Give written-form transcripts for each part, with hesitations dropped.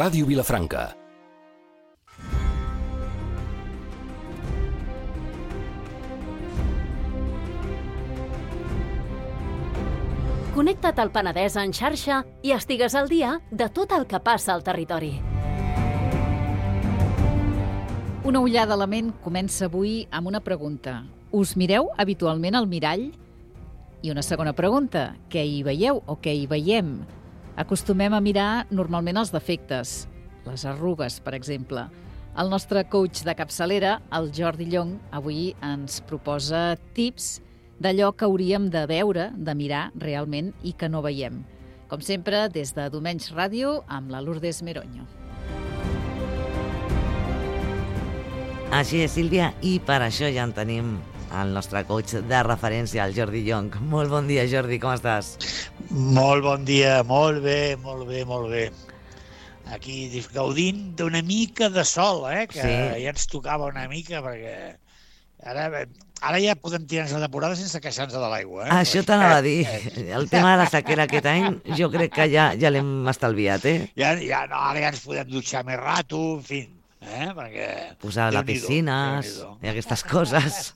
Ràdio Vilafranca. Connecta't al Penedès en xarxa i estigues al dia de tot el que passa al territori. Una ullada a la ment comença avui amb una pregunta. Us mireu habitualment al mirall? I una segona pregunta. Què hi veieu o què hi veiem? Acostumem a mirar normalment els defectes, les arrugues, per exemple. El nostre coach de capçalera, el Jordi Llong, avui ens proposa tips d'allò que hauríem de veure, de mirar realment i que no veiem. Com sempre, des de Domenys Ràdio, amb la Lourdes Meroño. Així és, Sílvia, i per això ja en tenim el nostre coach de referència, el Jordi Llong. Molt bon dia, Jordi, com estàs? Molt bon dia, molt bé, molt bé, molt bé. Aquí gaudint d'una mica de sol, que sí. Ja ens tocava una mica, perquè ara ja podem tirar-nos la temporada sense queixar-nos de l'aigua. Això t'anava a dir. El tema de la sequera aquest any jo crec que ja l'hem estalviat, Ja no, ara ja ens podem dutxar més rato, en fi. Perquè posar a la piscina i aquestes coses.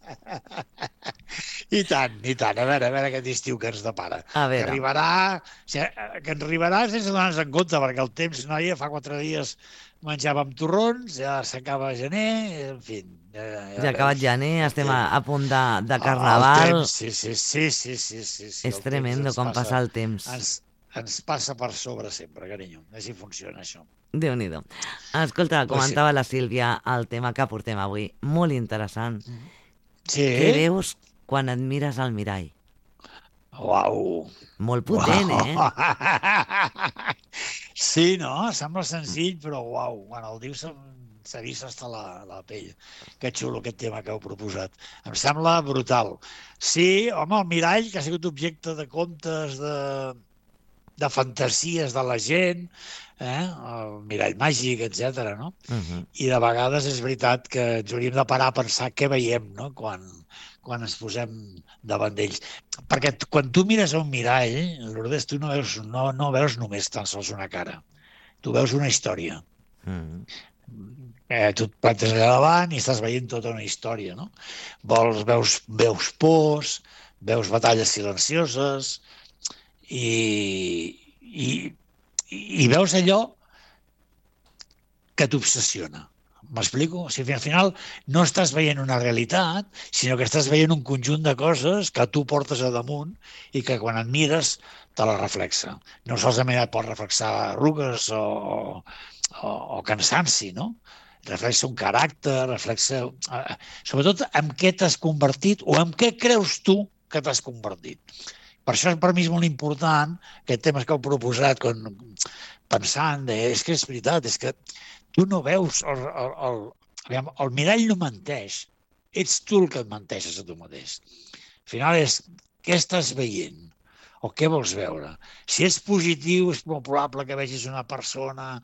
I tant. A veure aquest estiu que ens depara. Que arribarà sense donar-nos en compte, perquè el temps, noia, fa 4 dies menjàvem torrons, ja s'acaba gener, en fi. Ja ha acabat gener, estem a punt de carnaval. Sí. És tremendo com passa el temps. Ens passa per sobre sempre, carinyo. Així funciona això. Déu-n'hi-do. Escolta, comentava la Sílvia el tema que portem avui. Molt interessant. Sí. Què veus quan et mires al mirall? Uau! Molt potent, Sí, no? Sembla senzill, però uau, quan el dius s'erissa hasta la pell. Que xulo aquest tema que heu proposat. Em sembla brutal. Sí, home, el mirall, que ha sigut objecte de contes, de fantasies de la gent, el mirall màgic, etc. No? I de vegades és veritat que ens hauríem de parar a pensar què veiem, no? Quan ens posem davant d'ells. Perquè quan tu mires a un mirall, Lourdes, tu no veus només tan sols una cara. Tu veus una història. Tu et plantes allà davant i estàs veient tota una història, no? Veus pors, veus batalles silencioses i veus allò que t'obsessiona. M'explico? O sigui, al final no estàs veient una realitat, sinó que estàs veient un conjunt de coses que tu portes a damunt i que quan et mires te la reflexa. No solament et pot reflexar arrugues o cansanci, no? Reflexa un caràcter, reflexa sobretot en què t'has convertit o en què creus tu que t'has convertit. Per això per mi és molt important aquest tema que heu proposat pensant, és que és veritat, és que tu no veus, el mirall no menteix, ets tu el que et menteixes a tu mateix. Al final és què estàs veient o què vols veure. Si és positiu, és molt probable que vegis una persona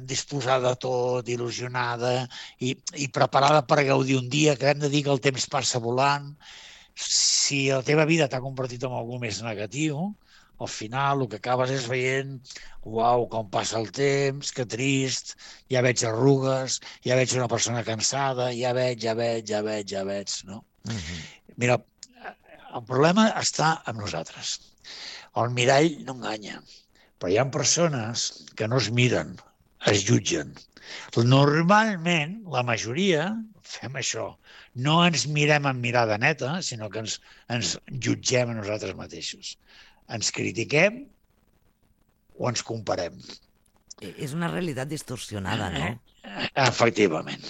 disposada a tot, il·lusionada i preparada per gaudir un dia, que hem de dir que el temps passa volant. Si la teva vida t'ha convertit en algú més negatiu, al final el que acabes és veient uau, com passa el temps, que trist, ja veig arrugues, ja veig una persona cansada, ja veig, no? Mira, el problema està amb nosaltres. El mirall no enganya, però hi ha persones que no es miren, es jutgen. Normalment, la majoria, fem això. No ens mirem amb mirada neta, sinó que ens jutgem a nosaltres mateixos. Ens critiquem o ens comparem. És una realitat distorsionada, no? Efectivament.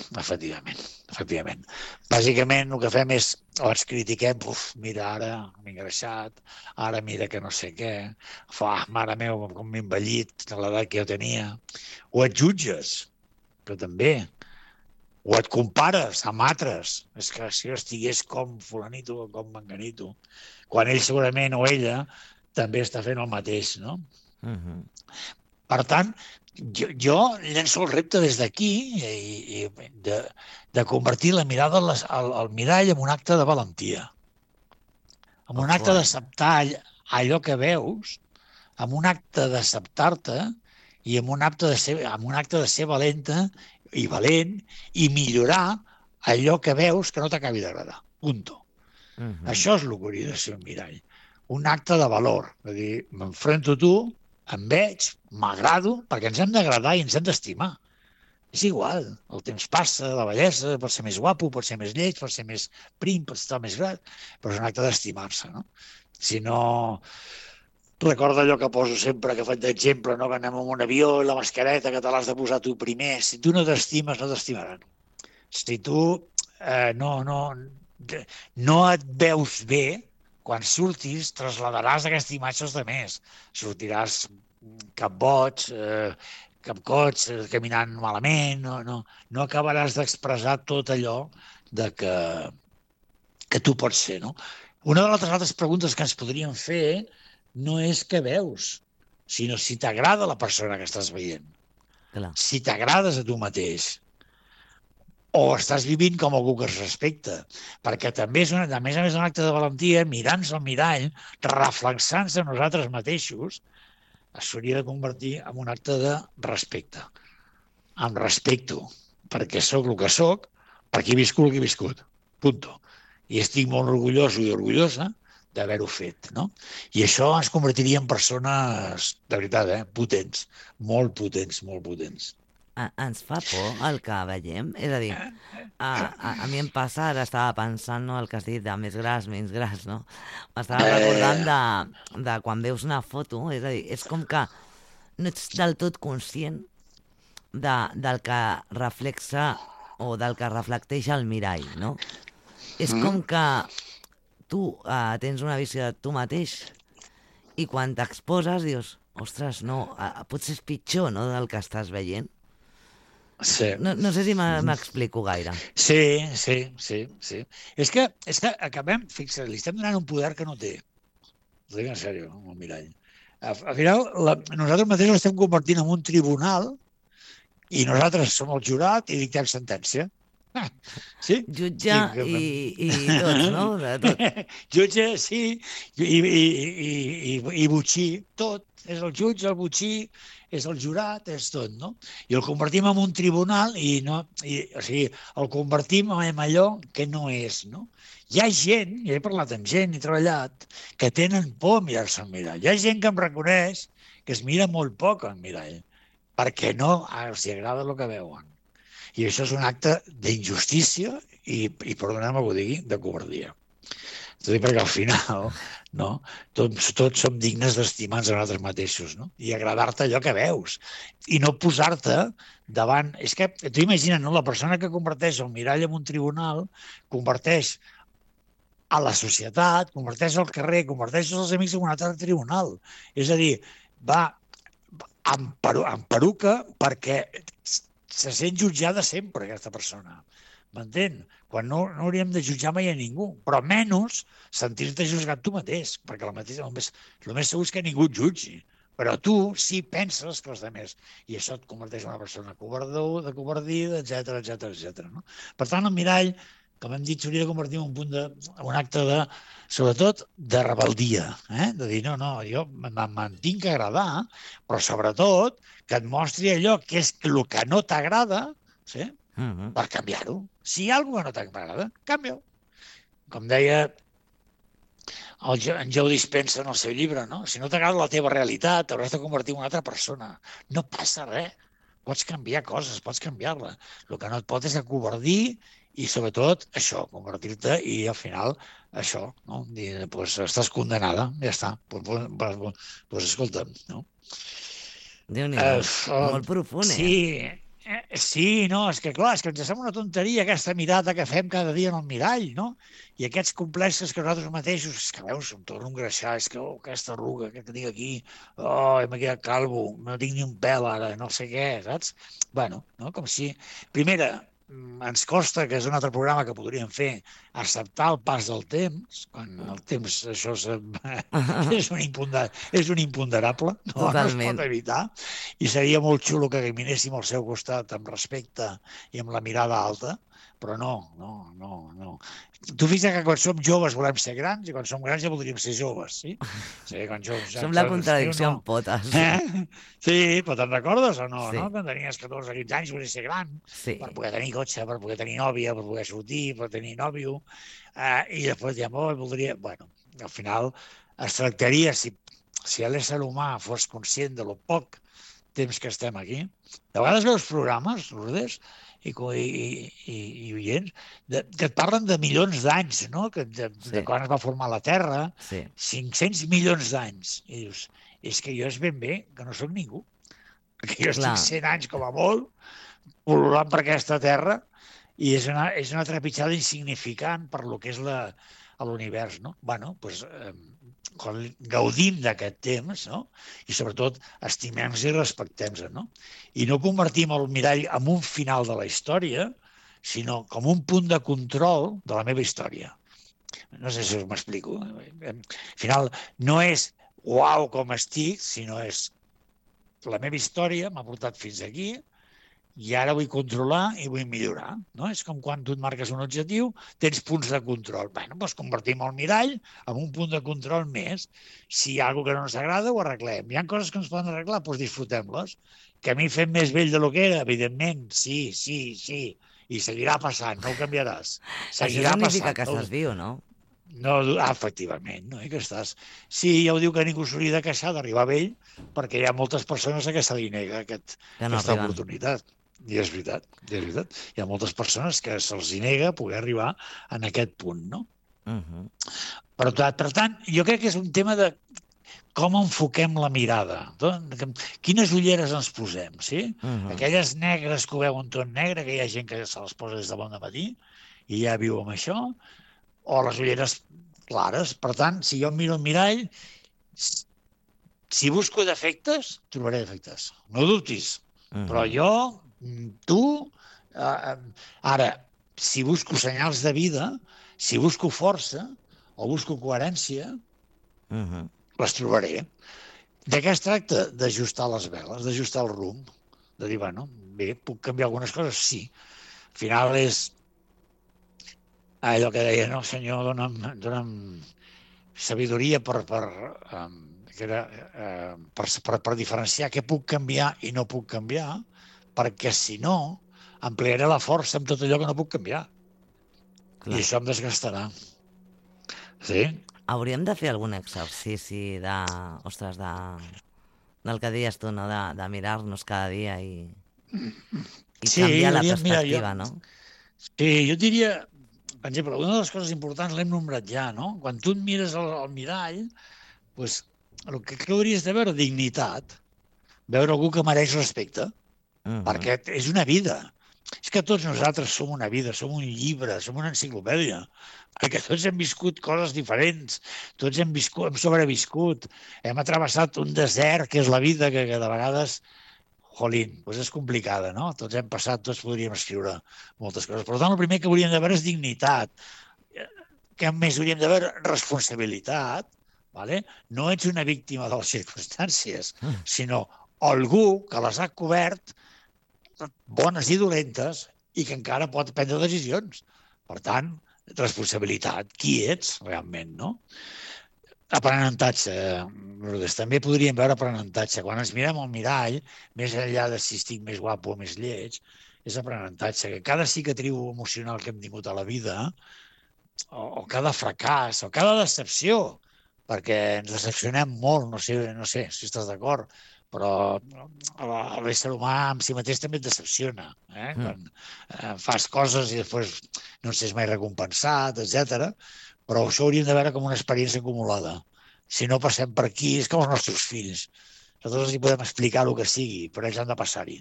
Bàsicament el que fem és, o ens critiquem, mira ara m'he engreixat, ara mira que no sé què, mare meva, com m'he envellit a l'edat que jo tenia. O et jutges, que també. O et compares amb altres. És que si jo estigués com fulanito o com menganito, quan ell segurament o ella també està fent el mateix, no? Per tant, jo llenço el repte des d'aquí de convertir la mirada al mirall en un acte de valentia. En un acte d'acceptar allò que veus, en un acte d'acceptar-te i amb un acte de ser valenta i valent i millorar allò que veus que no t'acabi d'agradar. Punto. Això és el que hauria de ser un mirall. Un acte de valor. És a dir, m'enfronto a tu, em veig, m'agrado, perquè ens hem d'agradar i ens hem d'estimar. És igual, el temps passa, la bellesa, pot ser més guapo, pot ser més lleig, pot ser més prim, pot estar més grat, però és un acte d'estimar-se, no? Si no... Recorda allò que poso sempre, que faig d'exemple, no? Que anem en un avió i la mascareta que te l'has de posar tu primer. Si tu no t'estimes, no t'estimaran. Si tu no et veus bé, quan surtis trasladaràs aquesta imatge als altres. Sortiràs cap boig, cap coig, caminant malament, no acabaràs d'expressar tot allò que tu pots ser, no? Una de les altres preguntes que ens podríem fer no és què veus, sinó si t'agrada la persona que estàs veient. Clar. Si t'agrades a tu mateix. O estàs vivint com algú que es respecta. Perquè també és, a més un acte de valentia, mirant-se al mirall, reflexant-se a nosaltres mateixos, s'hauria de convertir en un acte de respecte. Em respecto, perquè sóc el que sóc, perquè he viscut el que he viscut. Punto. I estic molt orgulloso i orgullosa d'haver-ho fet, no? I això ens convertiria en persones, de veritat, potents, molt potents, molt potents. Ens fa por el que veiem? És a dir, a mi em passa, ara estava pensant, no, el que has dit, de més gras, menys gras, no? M'estava recordant de quan veus una foto, és a dir, és com que no ets del tot conscient del que reflexa o del que reflecteix el mirall, no? És com que tu tens una visió de tu mateix i quan t'exposes dius, ostres, no, potser és pitjor, no?, del que estàs veient. Sí. No sé si m'explico gaire. Sí. És que acabem, fixa't, li estem donant un poder que no té. Ho dic en sèrio, amb el mirall. Al final, nosaltres mateixos estem convertint en un tribunal i nosaltres som el jurat i dictem sentència. Sí? Jutge i tots, no? De tot. Jutge, sí, i botxí, tot. És el jutge, el botxí, és el jurat, és tot, no? I el convertim en un tribunal o sigui, el convertim en allò que no és, no? Hi ha gent, i he parlat amb gent, he treballat, que tenen por a mirar-se al mirall. Hi ha gent que em reconeix que es mira molt poc al mirall, perquè no els agrada el que veuen. I això és un acte d'injustícia i perdoneu-me que ho digui, de covardia. És a dir, perquè al final, no, tots som dignes d'estimar-nos a nosaltres mateixos, no? I agradar-te allò que veus. I no posar-te davant... És que, tu imagina't, no? La persona que converteix el mirall en un tribunal, converteix a la societat, converteix al carrer, converteix els amics en un altre tribunal. És a dir, va amb peruca perquè se sent jutjada sempre, aquesta persona. M'entén? Quan no hauríem de jutjar mai a ningú, però menys sentir-te juzgat tu mateix, perquè el més segur és que ningú et jutgi. Però tu sí penses que els altres, i això et converteix en una persona covardor, de covardida, etc. No? Per tant, el mirall, com hem dit, s'hauria de convertir en un acte de, sobretot, de rebeldia. De dir, no, jo me'n tinc que agradar, però sobretot que et mostri allò que és el que no t'agrada, sí? Per canviar-ho. Si hi ha alguna cosa que no t'agrada, canvia-ho. Com deia en Joe Dispenza en el seu llibre, no? Si no t'agrada la teva realitat, t'hauràs de convertir en una altra persona. No passa res. Pots canviar coses, pots canviar-la. El que no et pot és acovardir i, sobretot, això, convertir-te i, al final, això, no? Dir, doncs, estàs condenada, ja està. Doncs escolta, no? Déu-n'hi-do, molt profund, Sí, no, és que clar, és que ens sembla una tonteria aquesta mirada que fem cada dia en el mirall, no? I aquests complexes que nosaltres mateixos, és que veus, em torno a engreixar, és que aquesta arruga que tinc aquí, m'he quedat calvo, no tinc ni un pèl ara, no sé què, saps? Bueno, no? Com si... Primera, ens costa, que és un altre programa que podríem fer, acceptar el pas del temps, quan el temps, això és un imponderable, no es pot evitar, i seria molt xulo que caminéssim al seu costat amb respecte i amb la mirada alta, però no. Tu fixa't que quan som joves volem ser grans i quan som grans ja voldríem ser joves, sí? Sí, quan Som la contradicció en potes. Sí, però te'n recordes o no? Sí. No? Quan tenies 14 o 15 anys volies ser gran per poder tenir cotxe, per poder tenir nòvia, per poder sortir, per tenir nòvio, i després ja voldria... Bueno, al final es tractaria, si l'ésser humà fos conscient de lo poc temps que estem aquí. De vegades veus programes, Lourdes, i oients, que et parlen de milions d'anys, no? De quan es va formar la Terra, 500 milions d'anys. I dius, és que jo és ben bé que no sóc ningú, perquè jo estic 100 anys com a molt, pol·lulant per aquesta Terra, i és una trepitjada insignificant per lo que és l'univers, no? Bueno, doncs gaudim d'aquest temps, no? I sobretot estimem-nos i respectem-nos, no? I no convertim el mirall en un final de la història, sinó com un punt de control de la meva història. No sé si us m'explico. Al final no és uau com estic, sinó és la meva història m'ha portat fins aquí i ara vull controlar i vull millorar, no? És com quan tu et marques un objectiu, tens punts de control. Bé, doncs convertim el mirall en un punt de control més. Si hi ha alguna que no ens agrada, ho arreglem. Hi ha coses que ens poden arreglar, doncs disfrutem-les. Que a mi fem més vell de lo que era, evidentment, sí. I seguirà passant, no ho canviaràs. Seguirà Això significa passant, que estàs viu, no? No, efectivament, no? Que estàs... Sí, ja ho diu que ningú s'hauria de queixar d'arribar vell, perquè hi ha moltes persones a què se li nega aquesta oportunitat. I és veritat. Hi ha moltes persones que se'ls nega poder arribar en aquest punt, no? Per tant, jo crec que és un tema de com enfoquem la mirada. Quines ulleres ens posem, sí? Aquelles negres que ho veuen tot negre, que hi ha gent que se les posa des de bon matí i ja viu amb això, o les ulleres clares. Per tant, si jo miro el mirall, si busco defectes, trobaré defectes. No dubtis. Però jo, tu, ara, si busco senyals de vida, si busco força o busco coherència, les trobaré. De què es tracta? D'ajustar les veles, d'ajustar el rumb, de dir, bueno, bé, puc canviar algunes coses? Sí. Al final és allò que deia, no, senyor, dona'm sabidoria per diferenciar què puc canviar i no puc canviar, perquè si no, emplearé la força en tot allò que no puc canviar. I això em desgastarà. Sí? Hauríem de fer algun exercici del que deies tu, no? De mirar-nos cada dia i canviar la perspectiva, no? Sí, jo diria, per exemple, una de les coses importants l'hem nombrat ja, no? Quan tu et mires al mirall, doncs, el que hauries de veure dignitat, veure algú que mereix respecte, perquè és una vida. És que tots nosaltres som una vida, som un llibre, som una enciclopèdia, perquè tots hem viscut coses diferents, tots hem sobreviscut, hem travessat un desert, que és la vida, que de vegades, jolín, doncs és complicada, no? Tots hem passat, tots podríem escriure moltes coses. Per tant, el primer que hauríem de veure és dignitat. Què més hauríem de veure? Responsabilitat. No ets una víctima de les circumstàncies, sinó algú que les ha cobert, bones i dolentes, i que encara pot prendre decisions. Per tant, responsabilitat. Qui ets realment, no? Aprenentatge. També podríem veure aprenentatge. Quan ens mirem al mirall, més enllà de si estic més guapo o més lleig, és aprenentatge. Que cada cicatriu emocional que hem tingut a la vida, o cada fracàs, o cada decepció, perquè ens decepcionem molt, no sé si estàs d'acord, però l'ésser humà amb si mateix també et decepciona. Quan fas coses i després no en ses mai recompensat, etc. Però això hauríem de veure com una experiència acumulada. Si no passem per aquí, és com els nostres fills. Nosaltres els podem explicar el que sigui, però ells han de passar-hi.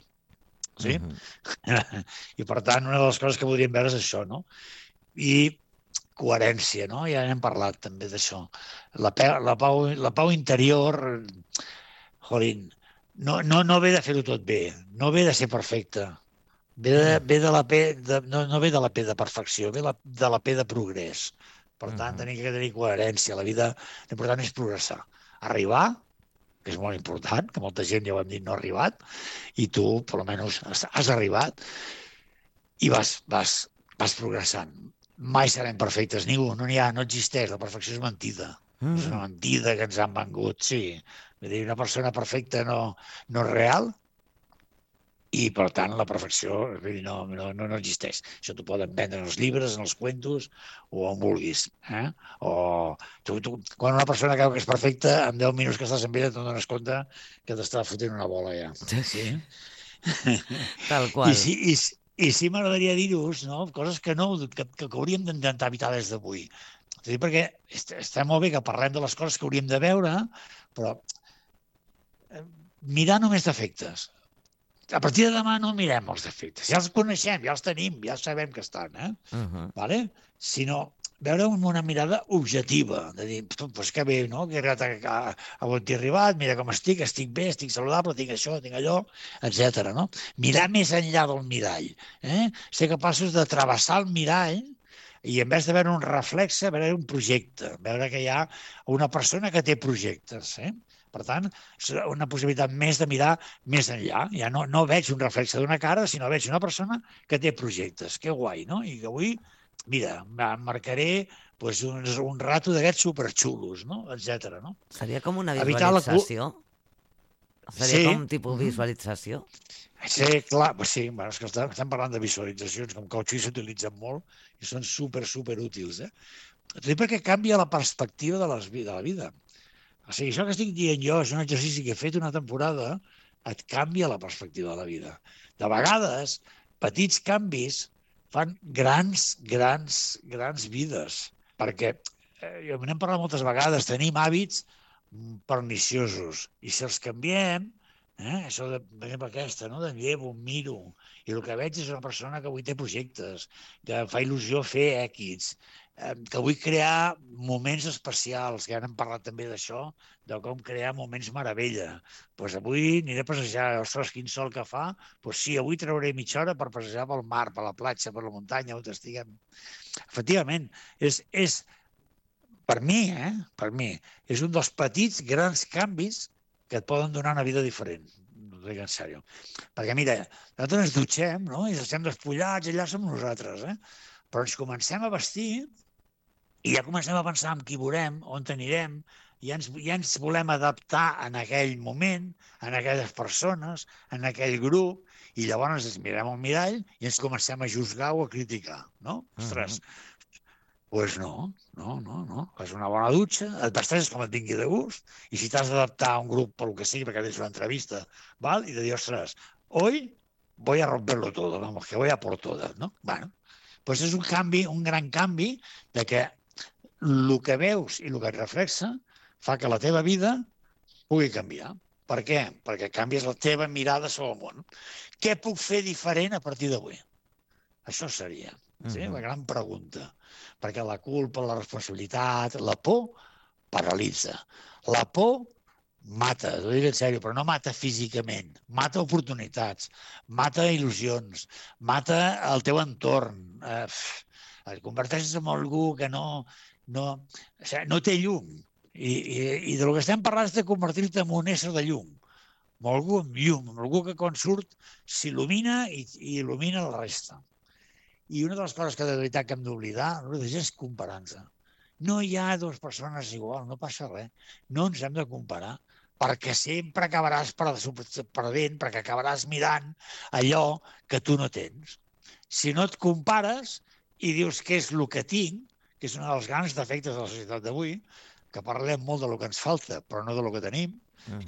Sí? I per tant, una de les coses que podríem veure és això, no? I coherència, no? Ja n'hem parlat també d'això. La pau interior, jolín, no ve de fer-ho tot bé, no ve de ser perfecte, no ve de la P de perfecció, ve de la P de progrés. Per tant, tenim que tenir coherència. La vida, l'important és progressar. Arribar, que és molt important, que molta gent, ja ho hem dit, no ha arribat, i tu, per almenys, has arribat, i vas vas progressant. Mai serem perfectes, ningú, no existeix, la perfecció és mentida. És una mentida que ens han vengut, sí. Vull dir, una persona perfecta no és real, i, per tant, la perfecció no existeix. Això t'ho poden vendre en els llibres, en els cuentos, o on vulguis. O quan una persona creu que és perfecta, en 10 minuts que estàs amb ella te'n dones compte que t'està fotent una bola ja. Sí? Tal qual. I sí m'agradaria dir-vos, no? Coses que hauríem d'intentar evitar des d'avui. És a dir, perquè està molt bé que parlem de les coses que hauríem de veure, però mirar només defectes. A partir de demà no mirem els defectes. Ja els coneixem, ja els tenim, ja sabem que estan, vale? Sinó veure amb una mirada objectiva, de dir, pues que bé, no? Que he arribat a on t'he arribat, mira com estic bé, estic saludable, tinc això, tinc allò, etc. No? Mirar més enllà del mirall. Ser capaços de travessar el mirall i en vez de veure un reflexe, veure un projecte, veure que hi ha una persona que té projectes. Per tant, és una possibilitat més de mirar més enllà. Ja no veig un reflexe d'una cara, sinó veig una persona que té projectes. Que guai, no? I que avui, mira, marcaré un rato d'aquests superxulos, no? Etcètera, no? Seria com una visualització? Seria com tipus visualització? Sí, clar, sí, és que estem parlant de visualitzacions, com que els s'utilitzen molt i són super útils. Perquè canvia la perspectiva de la vida. O sigui, això que estic dient jo és un exercici que he fet una temporada, et canvia la perspectiva de la vida. De vegades, petits canvis fan grans vides. Perquè, n'hem parlat moltes vegades, tenim hàbits perniciosos. I si els canviem, això de, per exemple, aquesta, no? De llevo, miro, i el que veig és una persona que avui té projectes, que em fa il·lusió fer èxits, que vull crear moments especials, que ja n'hem parlat també d'això, de com crear moments meravella. Doncs avui aniré a passejar, ostres, quin sol que fa, doncs sí, avui trauré mitja hora per passejar pel mar, per la platja, per la muntanya, on estiguem. Efectivament, és per mi, és un dels petits grans canvis que et poden donar una vida diferent. Ho dic en sèrio. Perquè, mira, nosaltres ens dutxem, no? I estem despullats, allà som nosaltres, però ens comencem a vestir i ja comencem a pensar en qui veurem, on anirem, i ja ens volem adaptar en aquell moment, en aquelles persones, en aquell grup, i llavors ens mirem al mirall i ens comencem a juzgar o a criticar, no? Ostres, doncs no. Fas una bona dutxa, et vesteixes com et vingui de gust, i si t'has d'adaptar a un grup pel que sigui, perquè tens una entrevista, val? I de dir, ostres, hoy voy a romperlo todo, vamos, que voy a por todas, no? Bueno, doncs és un canvi, un gran canvi, de que el que veus i el que et reflexa fa que la teva vida pugui canviar. Per què? Perquè canvies la teva mirada sobre el món. Què puc fer diferent a partir d'avui? Això seria la gran pregunta. Perquè la culpa, la responsabilitat, la por paralitza. La por mata, ho dic en sèrio, però no mata físicament, mata oportunitats, mata il·lusions, mata el teu entorn, et converteixes en algú que no té llum. I del que estem parlant és de convertir-te en un ésser de llum, amb algú amb llum, amb algú que quan surt s'il·lumina i il·lumina la resta. I una de les coses que de veritat que hem d'oblidar és comparar-nos. No hi ha dues persones igual, no passa res. No ens hem de comparar, perquè sempre acabaràs perdent, perquè acabaràs mirant allò que tu no tens. Si no et compares i dius què és el que tinc, que és un dels grans defectes de la societat d'avui, que parlem molt de lo que ens falta, però no de lo que tenim,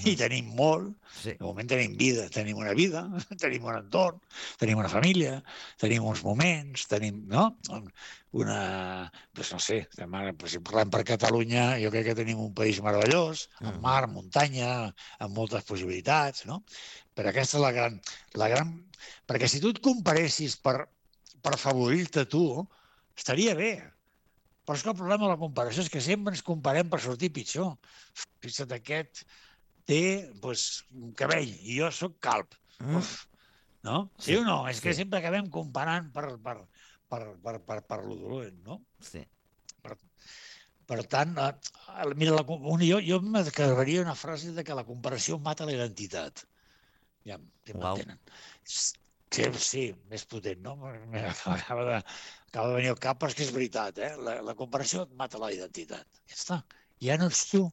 i tenim molt. De moment tenim vida, tenim una vida, tenim un entorn, tenim una família, tenim uns moments, tenim, no? Doncs no sé, si parlem per Catalunya, jo crec que tenim un país meravellós, amb mar, muntanya, amb moltes possibilitats, no? Però aquesta és la gran... Perquè si tu et comparessis per afavorir-te tu, estaria bé. Però és que el problema de la comparació és que sempre ens comparem per sortir pitjor. Fixa't, aquest té un cabell i jo sóc calb. No? Sí o no? És que sempre acabem comparant per lo dolent, no? Sí. Per tant, mira, jo m'acabaria una frase de que la comparació mata la identitat. Ja, si m'entenen. Sí, més potent, no? acaba de venir al cap, però és que és veritat, la comparació et mata la identitat. Ja està. Ja no ets tu.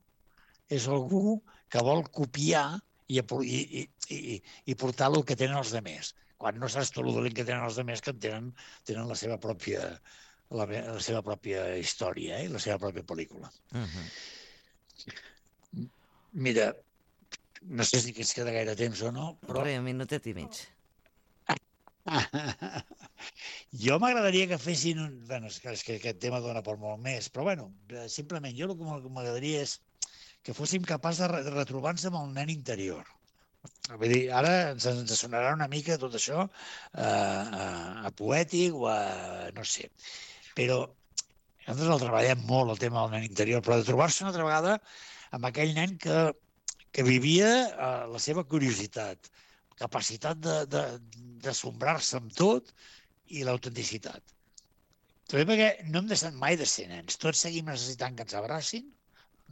És algú que vol copiar i portar el que tenen els altres. Quan no saps tu el dolent que tenen els altres, que tenen la seva pròpia història i la seva pròpia pel·lícula. Mira, no sé si ens queda gaire temps o no, però... Un minutet i mig. Jo m'agradaria que fessin... Bueno, és que aquest tema dona per molt més, però bueno, simplement jo el que m'agradaria és que fóssim capaços de retrobar-nos amb el nen interior. Vull dir, ara ens sonarà una mica tot això a poètic o a... no sé. Però nosaltres el treballem molt, el tema del nen interior, però de trobar-se una altra vegada amb aquell nen que vivia la seva curiositat, capacitat d'assombrar-se amb tot i l'autenticitat. També perquè no hem deixat mai de ser nens. Tots seguim necessitant que ens abracin,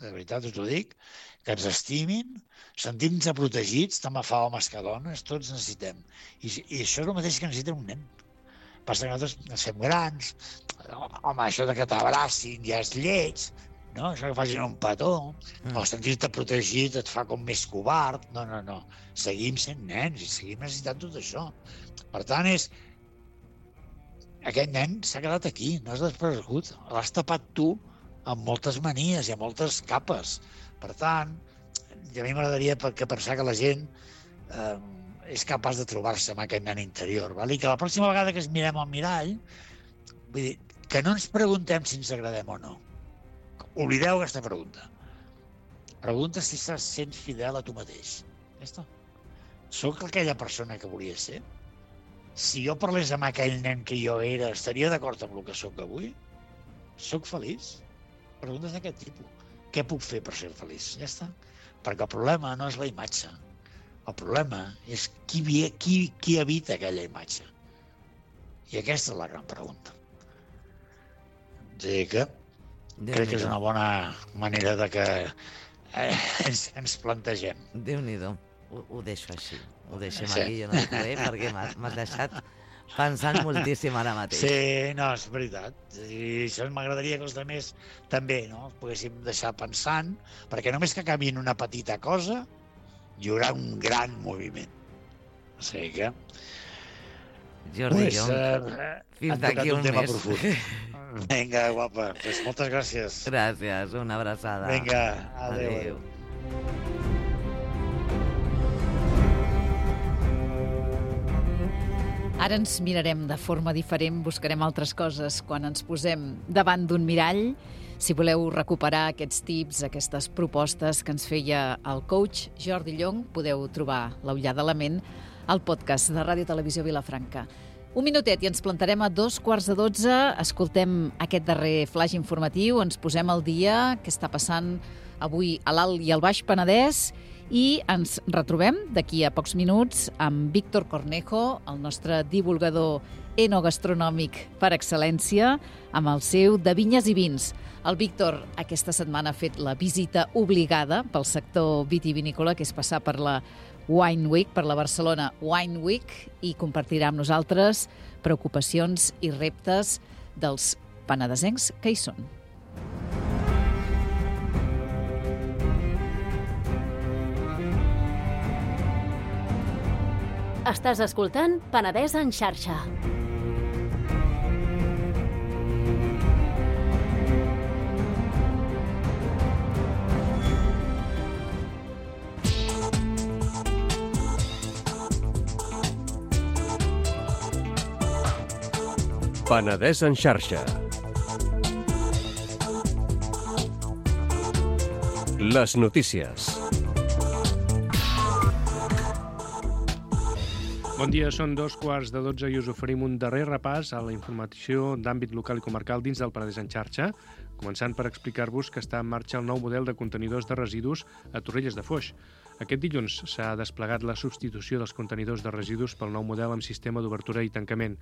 de veritat us ho dic, que ens estimin, sentim-nos protegits, tant a homes que dones, tots necessitem. I això és el mateix que necessita un nen. Passa que nosaltres ens fem grans, home, això de que t'abracin ja és lleig, no? Això que facin un petó, o sentir-te protegit et fa com més covard. No. Seguim sent nens i seguim necessitant tot això. Per tant, aquest nen s'ha quedat aquí, no has desaparegut. L'has tapat tu amb moltes manies i amb moltes capes. Per tant, a mi m'agradaria pensar que la gent és capaç de trobar-se amb aquest nen interior. I que la pròxima vegada que ens mirem al mirall, vull dir, que no ens preguntem si ens agradem o no. Oblideu aquesta pregunta. Pregunta si estàs sent fidel a tu mateix. Ja està. Soc aquella persona que volia ser? Si jo parlés amb aquell nen que jo era, estaria d'acord amb el que sóc avui? Soc feliç? Preguntes d'aquest tipus. Què puc fer per ser feliç? Ja està. Perquè el problema no és la imatge. El problema és qui habita aquella imatge. I aquesta és la gran pregunta. O sigui que crec que és una bona manera de que ens plantegem. Déu-n'hi-do. Ho deixo així. Ho deixem aquí, jo no dic res, perquè m'has deixat pensant moltíssim ara mateix. Sí, no, és veritat. I això m'agradaria que els altres també, no? Els poguéssim deixar pensant, perquè només que canviïn una petita cosa, hi haurà un gran moviment. O sigui que... Jordi Llonch, fins d'aquí un mes. Vinga, guapa, pues moltes gràcies. Gràcies, una abraçada. Vinga, adéu. Ara ens mirarem de forma diferent, buscarem altres coses quan ens posem davant d'un mirall. Si voleu recuperar aquests tips, aquestes propostes que ens feia el coach Jordi Llonch, podeu trobar l'Ullada a la ment al podcast de Ràdio Televisió Vilafranca. Un minutet i ens plantarem a 11:45. Escoltem aquest darrer flash informatiu, ens posem al dia, què està passant avui a l'Alt i al Baix Penedès, i ens retrobem d'aquí a pocs minuts amb Víctor Cornejo, el nostre divulgador enogastronòmic per excel·lència, amb el seu de vinyes i vins. El Víctor aquesta setmana ha fet la visita obligada pel sector vitivinícola, que és passar per la Wine Week, per la Barcelona Wine Week, i compartirà amb nosaltres preocupacions i reptes dels penedesencs que hi són. Estàs escoltant Penedès en xarxa. Penedès en xarxa. Les notícies. Bon dia, són 11:45 i us oferim un darrer repàs a la informació d'àmbit local i comarcal dins del Penedès en xarxa, començant per explicar-vos que està en marxa el nou model de contenidors de residus a Torrelles de Foix. Aquest dilluns s'ha desplegat la substitució dels contenidors de residus pel nou model amb sistema d'obertura i tancament.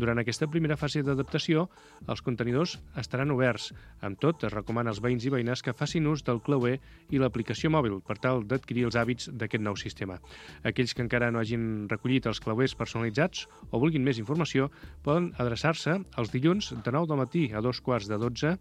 Durant aquesta primera fase d'adaptació, els contenidors estaran oberts. Amb tot, es recomana als veïns i veïnes que facin ús del clauer i l'aplicació mòbil per tal d'adquirir els hàbits d'aquest nou sistema. Aquells que encara no hagin recollit els clauers personalitzats o vulguin més informació poden adreçar-se els dilluns de 9 del matí a 2:15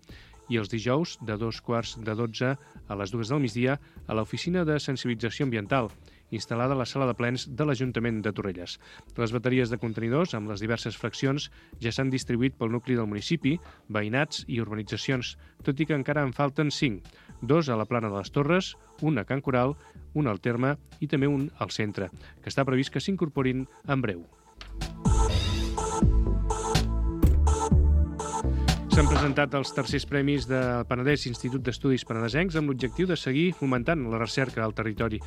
i els dijous de 2:15 a les 2 del migdia a l'Oficina de Sensibilització Ambiental, instal·lada a la sala de plens de l'Ajuntament de Torrelles. Les bateries de contenidors amb les diverses fraccions ja s'han distribuït pel nucli del municipi, veïnats i urbanitzacions, tot i que encara en falten 5, 2 a la plana de les Torres, un a Can Coral, un al Terme i també un al centre, que està previst que s'incorporin en breu. S'han presentat els tercers premis del Penedès Institut d'Estudis Penedesencs amb l'objectiu de seguir fomentant la recerca al territori.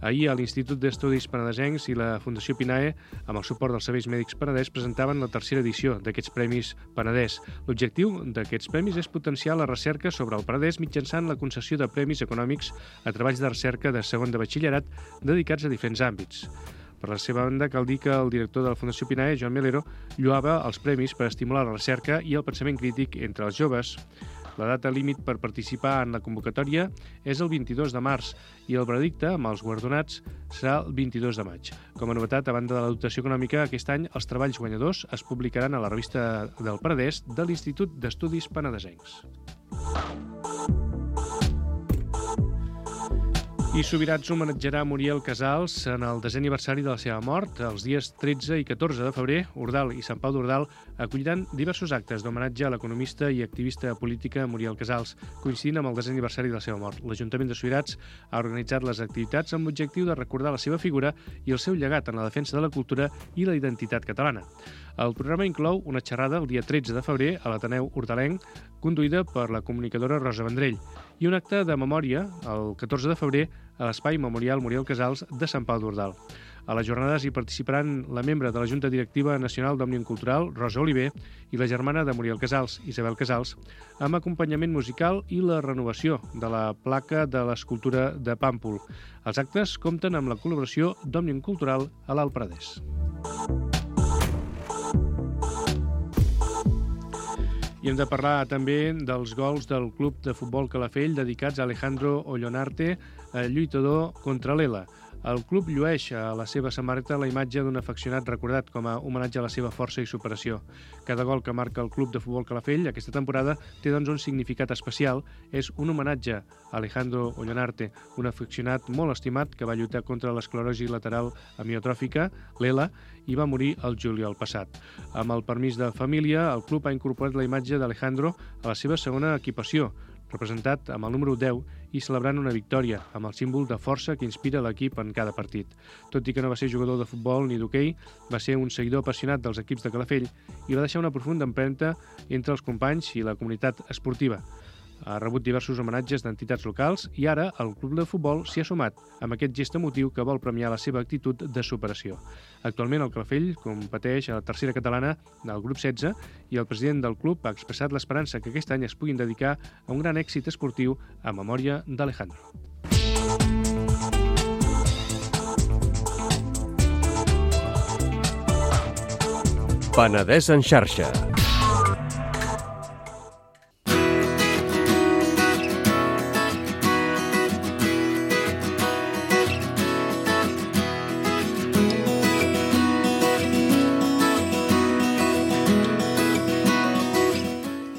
Ahir, l'Institut d'Estudis Penedesencs i la Fundació Pinae, amb el suport dels Serveis Mèdics Penedès, presentaven la tercera edició d'aquests Premis Penedès. L'objectiu d'aquests premis és potenciar la recerca sobre el Penedès mitjançant la concessió de premis econòmics a treballs de recerca de segon de batxillerat dedicats a diferents àmbits. Per la seva banda, cal dir que el director de la Fundació Pinae, Joan Melero, lloava els premis per estimular la recerca i el pensament crític entre els joves. La data límit per participar en la convocatòria és el 22 de març i el veredicte amb els guardonats serà el 22 de maig. Com a novetat, a banda de la dotació econòmica, aquest any els treballs guanyadors es publicaran a la revista del Penedès de l'Institut d'Estudis Penedesencs. I Subirats homenatjarà Muriel Casals en el 10è aniversari de la seva mort. Els dies 13 i 14 de febrer, Ordal i Sant Pau d'Ordal acolliran diversos actes d'homenatge a l'economista i activista política Muriel Casals, coincidint amb el 10è aniversari de la seva mort. L'Ajuntament de Subirats ha organitzat les activitats amb l'objectiu de recordar la seva figura i el seu llegat en la defensa de la cultura i la identitat catalana. El programa inclou una xerrada el dia 13 de febrer a l'Ateneu Hortalenc, conduïda per la comunicadora Rosa Vendrell, i un acte de memòria el 14 de febrer a l'Espai Memorial Muriel Casals de Sant Pau d'Ordal. A les jornades hi participaran la membre de la Junta Directiva Nacional d'Òmnium Cultural, Rosa Oliver, i la germana de Muriel Casals, Isabel Casals, amb acompanyament musical i la renovació de la placa de l'escultura de Pàmpol. Els actes compten amb la col·laboració d'Òmnium Cultural a l'Alt Penedès. I hem de parlar també dels gols del Club de Futbol Calafell dedicats a Alejandro Ollonarte, lluitador contra l'ELA. El club llueix a la seva samarreta la imatge d'un afeccionat recordat com a homenatge a la seva força i superació. Cada gol que marca el Club de Futbol Calafell aquesta temporada té doncs un significat especial. És un homenatge a Alejandro Ollonarte, un afeccionat molt estimat que va lluitar contra l'esclerosi lateral amiotròfica, l'ELA, i va morir el juliol passat. Amb el permís de família, el club ha incorporat la imatge d'Alejandro a la seva segona equipació, representat amb el número 10 i celebrant una victòria, amb el símbol de força que inspira l'equip en cada partit. Tot i que no va ser jugador de futbol ni d'hoquei, va ser un seguidor apassionat dels equips de Calafell i va deixar una profunda empremta entre els companys i la comunitat esportiva. Ha rebut diversos homenatges d'entitats locals i ara el club de futbol s'hi ha sumat amb aquest gest emotiu que vol premiar la seva actitud de superació. Actualment el Calafell competeix a la tercera catalana del grup 16 i el president del club ha expressat l'esperança que aquest any es puguin dedicar a un gran èxit esportiu a memòria d'Alejandro. Penedès en xarxa.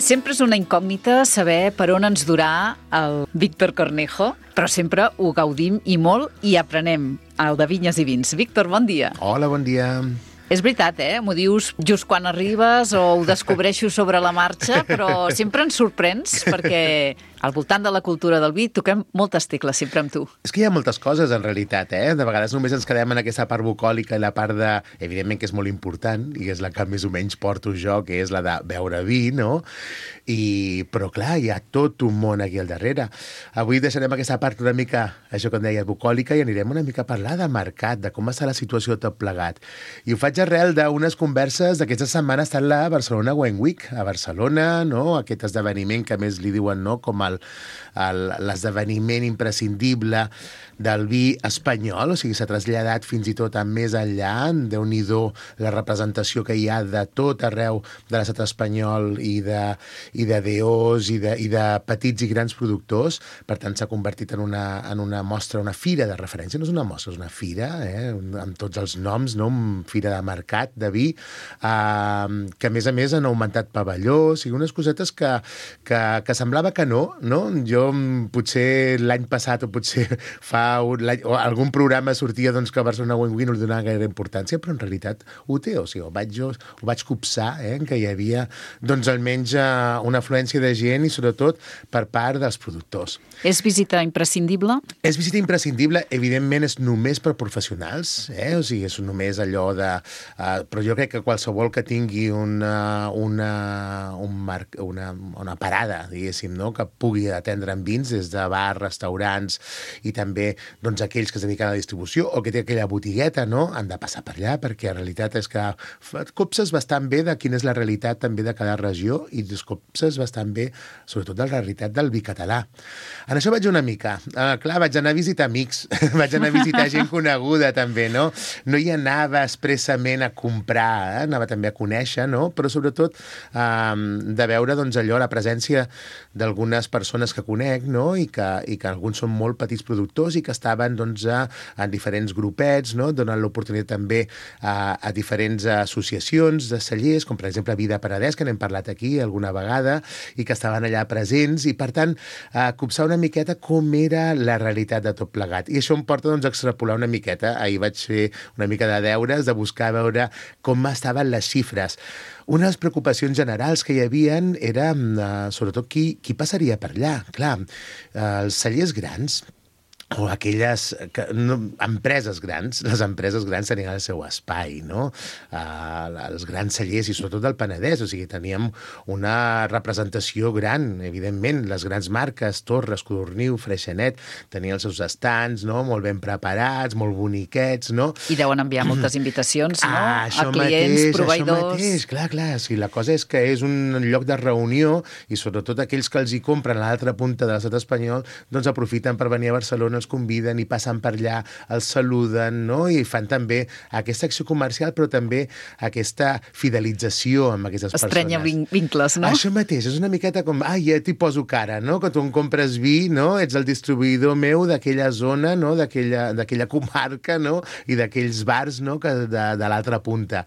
Sempre és una incògnita saber per on ens durà el Víctor Cornejo, però sempre ho gaudim i molt i aprenem el de Vinyes i Vins. Víctor, bon dia. Hola, bon dia. És veritat, M'ho dius just quan arribes o ho descobreixo sobre la marxa, però sempre ens sorprens perquè al voltant de la cultura del vi toquem moltes tecles sempre amb tu. És que hi ha moltes coses, en realitat, De vegades només ens quedem en aquesta part bucòlica i la part de... Evidentment que és molt important i és la que més o menys porto jo, que és la de beure vi, no? Però clar, hi ha tot un món aquí al darrere. Avui deixarem aquesta part una mica, això que em deia, bucòlica, i anirem una mica a parlar de mercat, de com està la situació tot plegat. I ho faig arrel d'unes converses d'aquesta setmana estat la Barcelona Wine Week, a Barcelona, no? Aquest esdeveniment que més li diuen, no?, com l'esdeveniment imprescindible del vi espanyol, o sigui, s'ha traslladat fins i tot a més enllà, Déu-n'hi-do la representació que hi ha de tot arreu de l'estat espanyol i de DOs i de petits i grans productors. Per tant, s'ha convertit en una mostra, una fira de referència. No és una mostra, és una fira, amb tots els noms, no? Una fira de mercat, de vi, que a més han augmentat pavelló, o sigui, unes cosetes que semblava que no? Jo potser l'any passat o potser fa o algun programa sortia doncs, que a Barcelona Wine Week no li donava gaire importància, però en realitat ho té, o sigui, ho vaig copsar, que hi havia doncs, almenys una afluència de gent i sobretot per part dels productors. És visita imprescindible? És visita imprescindible, evidentment és només per professionals, o sigui, és només allò de... però jo crec que qualsevol que tingui una parada, diguéssim, no?, que pugui atendre amb vins des de bars, restaurants i també doncs, aquells que es dediquen a la distribució o que té aquella botigueta, no?, han de passar per allà, perquè la realitat és que copses bastant bé de quina és la realitat també de cada regió i copses bastant bé, sobretot de la realitat del vi català. En això vaig una mica. Clar, vaig anar a visitar amics, vaig anar a visitar gent coneguda també, no? No hi anava expressament a comprar, anava també a conèixer, no? Però sobretot de veure doncs, allò, la presència d'algunes persones que conec, no? I que alguns són molt petits productors i que estaven doncs, en diferents grupets, no? Donant l'oportunitat també a diferents associacions de cellers, com per exemple Vida Paradès, que n'hem parlat aquí alguna vegada, i que estaven allà presents, i per tant copsar una miqueta com era la realitat de tot plegat. I això em porta doncs, a extrapolar una miqueta. Ahir vaig fer una mica de deures, de buscar veure com estaven les xifres. Una de les preocupacions generals que hi havia era sobretot qui passaria per allà. Clar, els cellers grans o aquelles empreses grans, les empreses grans tenien el seu espai, no? Els grans cellers, i sobretot del Penedès, o sigui, teníem una representació gran, evidentment, les grans marques, Torres, Codorniu, Freixenet, tenien els seus estants, no?, molt ben preparats, molt boniquets, no? I deuen enviar moltes invitacions, no?, a clients, proveïdors... Això mateix, clar, sí, la cosa és que és un lloc de reunió i sobretot aquells que els hi compren a l'altra punta de l'estat espanyol, doncs aprofiten per venir a Barcelona, els conviden i passen per allà, els saluden, no? I fan també aquesta acció comercial, però també aquesta fidelització amb aquestes persones. Estrenya vincles, no? Això mateix, és una miqueta com, ja t'hi poso cara, no? Que tu em compres vi, no? Ets el distribuïdor meu d'aquella zona, no? D'aquella comarca, no? I d'aquells bars, no?, que de l'altra punta.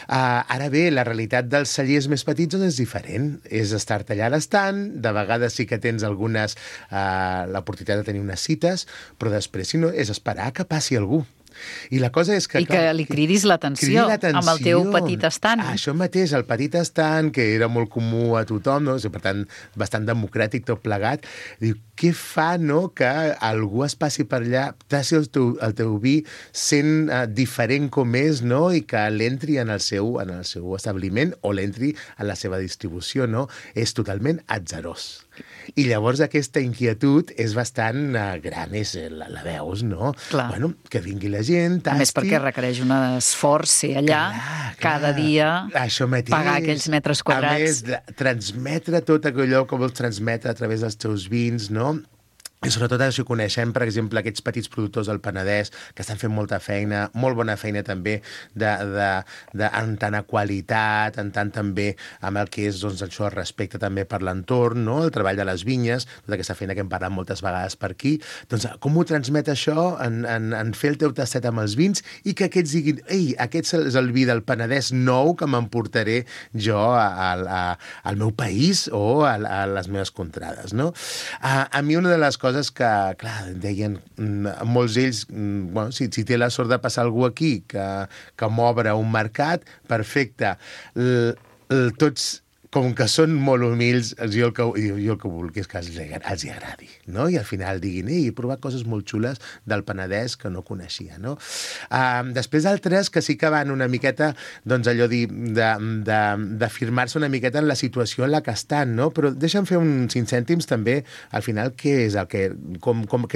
Ara bé, la realitat dels cellers més petits és diferent. És estar-te allà a l'estant, de vegades sí que tens l'oportunitat de tenir unes cites, però després, si no, és esperar que passi algú. I la cosa és que... I que li cridis l'atenció amb el teu petit estant. Això mateix, el petit estant, que era molt comú a tothom, no? Per tant, bastant democràtic tot plegat. Diu, què fa, no?, que algú es passi per allà, tassi el teu vi sent diferent com és, no?, i que l'entri en el seu establiment o l'entri en la seva distribució, no? És totalment atzarós. I llavors aquesta inquietud és bastant gran, la veus, no? Clar. Bueno, que vingui la gent, tasti... A més perquè requereix un esforç ser allà, cada dia, pagar aquells metres quadrats. A més, transmetre tot allò que vols transmetre a través dels teus vins, no? I sobretot això coneixem, per exemple, aquests petits productors del Penedès que estan fent molta feina, molt bona feina també en tant a qualitat, en tant també amb el que és doncs, això, respecte també per l'entorn, no? El treball de les vinyes, tota aquesta feina que hem parlat moltes vegades per aquí. Doncs com ho transmet això en fer el teu tastet amb els vins i que aquests diguin, ei, aquest és el vi del Penedès nou que m'emportaré jo al meu país o a les meves contrades, no? A mi una de les coses que, clar, deien molts d'ells, bueno, si té la sort de passar algú aquí que m'obre un mercat, perfecte. Tots com que són molt humils, jo el que vull és que els hi agradi, no? I al final diguin, he provat coses molt xules del Penedès que no coneixia, no? Després altres que sí que van una miqueta, doncs allò d'afirmar-se una miqueta en la situació en la que estan, no? Però deixa'm fer uns 5 cèntims també, al final, què és què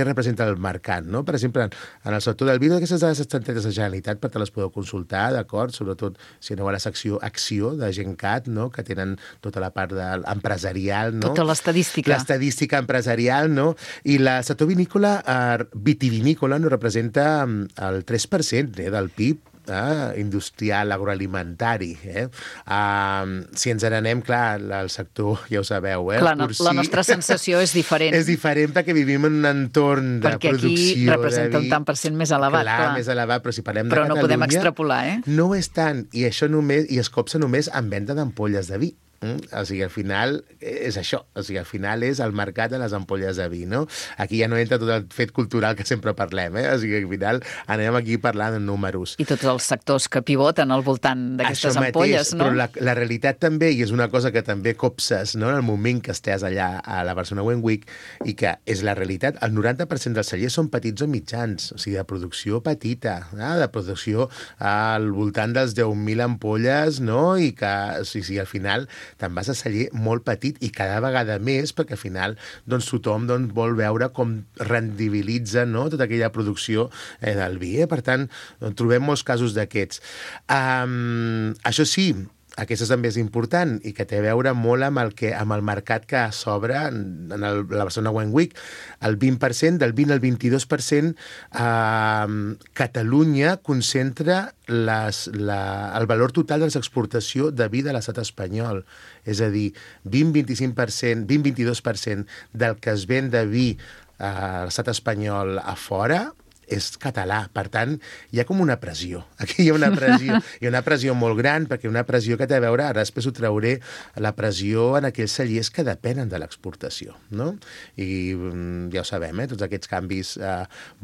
representa el mercat, no? Per exemple, en el sector del vidre, aquestes dades estan tretes de Generalitat, per te les podeu consultar, d'acord? Sobretot si aneu a la secció Acció de Gencat, no? Que tenen tota la part empresarial, no? Tota l'estadística. L'estadística empresarial, no? I el sector vitivinícola no representa el 3% del PIB industrial, agroalimentari. Si ens n'anem, clar, el sector, ja ho sabeu, clar, la nostra sensació és diferent. És diferent perquè vivim en un entorn de perquè producció de vi. Perquè aquí representa un tant per cent més elevat. Clar, més elevat, però si parlem de Catalunya... Però no podem extrapolar, No ho és tant, i això només, i es copsa només en venda d'ampolles de vi. O sigui, al final és això. O sigui, al final és el mercat de les ampolles de vi, no? Aquí ja no entra tot el fet cultural que sempre parlem, O sigui, al final anem aquí parlant de números. I tots els sectors que pivoten al voltant d'aquestes ampolles, no? Però la realitat també, i és una cosa que també copses, no?, en el moment que estàs allà a la Barcelona Wine Week, i que és la realitat, el 90% dels cellers són petits o mitjans, o sigui, de producció petita, de producció al voltant dels 10.000 ampolles, no?, i que, o sigui, al final te'n vas a celler molt petit i cada vegada més, perquè al final doncs, tothom vol veure com rendibilitza, no?, tota aquella producció del vi. Per tant, trobem molts casos d'aquests. Això sí, aquesta també és important i que té a veure molt amb el mercat que s'obre en la Barcelona Wine Week. El 20%, del 20 al 22%, Catalunya concentra el valor total de l'exportació de vi de l'estat espanyol. És a dir, 20-22% del que es ven de vi a l'estat espanyol a fora és català. Per tant, hi ha com una pressió. Aquí hi ha una pressió. Hi ha una pressió molt gran, perquè una pressió que té a veure, ara després ho trauré, la pressió en aquells cellers que depenen de l'exportació, no? I ja ho sabem, tots aquests canvis